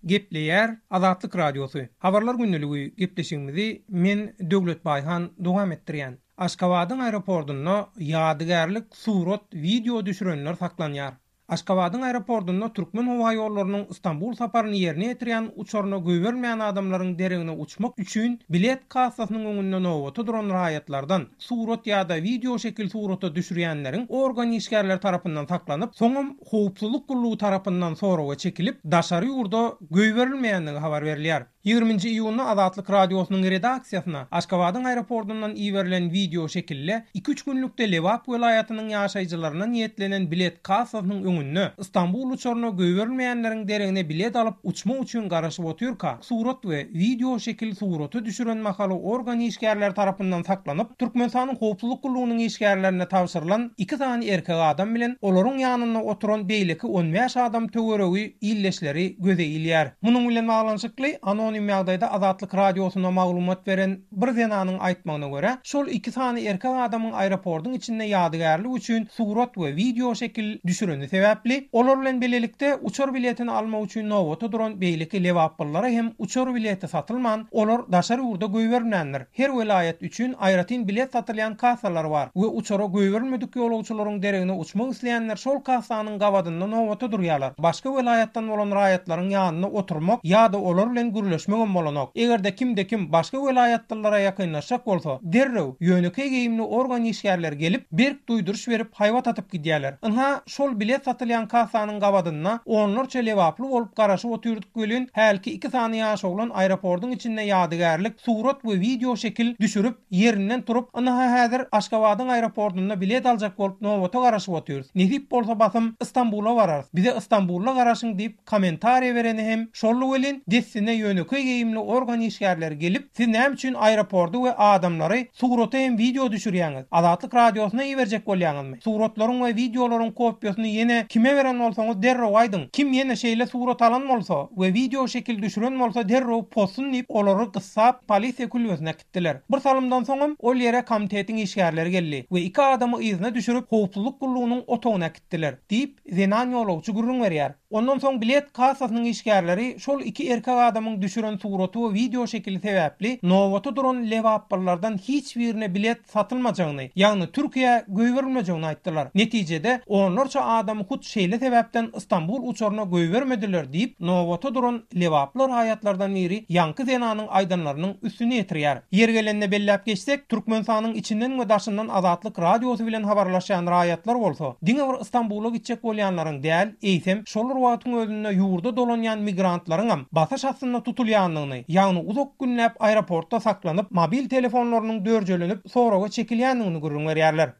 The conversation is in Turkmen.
Gepleýär Azatlyk Radiosy. Habarlar gündeligi gepleşigimizi men Döwlet Baýhan dowam etdirýän. Aşgabadyň aeroportunda ýadygärlik surat, wideo düşürenler saklanýar. Aşgabadyň aeroportunda Türkmenhowaýollarynyň Stambul saparyny ýerine ýetirýän uçaryna goýberilmeýän adamlaryň deregine uçmak üçin bilet kassasynyň öňünde nobata duran raýatlardan surat ýa-da wideo şekil surata düşürýänleriň organ işgärleri tarapyndan saklanyp, soňam howpsuzlyk gullugy tarapyndan soraga çekilip, daşary ýurda goýberilmeýändigi habar berilýär. Ýigriminji iýunda Azatlyk Radiosynyň redaksiýasyna Aşgabadyň aeroportyndan iberilen wideo şekilde iki-üç günlükde Lebap welaýatynyň ýaşaýjylaryna niýetlenen bilet kassasynyň öňünde Stambul uçaryna goýberilmeýänleriň deregine bilet alyp uçmak üçin garaşyp otyrka surat we wideo şekil surata düşüren mahaly organ işgärleri tarapyndan saklanyp Türkmenistanyň Howpsuzlyk gullugynyň işgärlerine tabşyrylan iki sany erkek adam bilen olaryň ýanynda oturan beýleki on bäş adam töweregi ildeşleri göze ilýär. Munuň bilen baglanyşykly, anonim ýagdaýda Azatlyk Radiosyna maglumat beren bir zenanyň aýtmagyna görä, şol iki sany erkek adamyň aeroportyň içinde ýadygärlik üçin surat we wideo şekil düşüreni sebäpli, olar bilen bilelikde uçar biletini almak üçin nobata duran beýleki lebaplylara hem uçar bileti satylman, olar daşary ýurda goýberilmändir. Her welaýat üçin aýratyn bilet satylýan kassalar bar we uçara goýberilmedik ýolagçylaryň deregine uçmak isleýänler şol kassanyň gabadynda nobata durýarlar. Başga welaýatdan bolan raýatlaryň ýanynda oturmak ýa-da olar bilen gürleşmegem bolanok. Eger-de kimde-kim başga welaýatlylara ýakynlaşjak bolsa, derrew ýönekeý geýimli organ işgärleri gelip, berk duýduryş berip, haýbat atyp gidýärler. Ynha, şol bilet satylýan kassanyň gabadynda onlarça lebaply bolup garaşyp otyrdyk welin, hälki iki sany ýaş oglan aeroportyň içinde ýadygärlik surat we wideo şekil düşürip, ýerinden turup, ynha häzir Aşgabadyň aeroportynda bilet aljak bolup nobata garaşyp otyrys. Nesip bolsa basym Istanbula bararys. Bize Istanbulda garaşyň diýip kommentariýa bereni hem şoldy welin, dessine ýönekeý geýimli organ işgärleri gelip, siz näme üçin aeropordy we adamlary surata hem wideo düşürýäňiz? Azatlyk Radiosyna iberjek bolýaňyzmy? Suratlaryň we wideolaryň kopiýasyny ýene kime beren bolsaňyz derrew aýdyň. Kim ýene şeýle surat alan bolsa we wideo şekil düşüren bolsa derrew pozsun diýip olary gyssap polisiýa külbesine äkitdiler. Bir salymdan soňam ol ýere komitetiň işgärleri geldi we iki adamy yzyna düşürip howpsuzlyk gullugynyň otagyna äkitdiler, diýip, zenan ýolagçy gürrüň berýär. Ondan soň bilet kassasynyň işgärleri şol iki erkek adamyň düşüren suraty we wideo şekili sebäpli nobata duran lebaplylardan hiç birine bilet satylmajagyny, ýagny Türkiýä goýberilmejegini aýtdylar. Netijede, onlarça adamy hut şeýle sebäpden Stambul uçaryna goýbermediler diýip, nobata duran lebaply raýatlardan biri ýaňky zenanyň aýdanlarynyň üstüni ýetirýär. Ýeri gelende belläp geçsek, Türkmenistanyň içinden we daşyndan Azatlyk Radiosy bilen habarlaşýan raýatlar bolsa, diňe bir Stambula gitjek bolýanlaryň däl, eýsem, şol bir wagtyň özünde ýurda dolanýan migrantlaryňam basyş astynda tutulýandygyny, ýagny uzak günläp aeroportda saklanyp, mobil telefonlarynyň dörjelenip, soraga çekilýändigini gürrüň berýärler.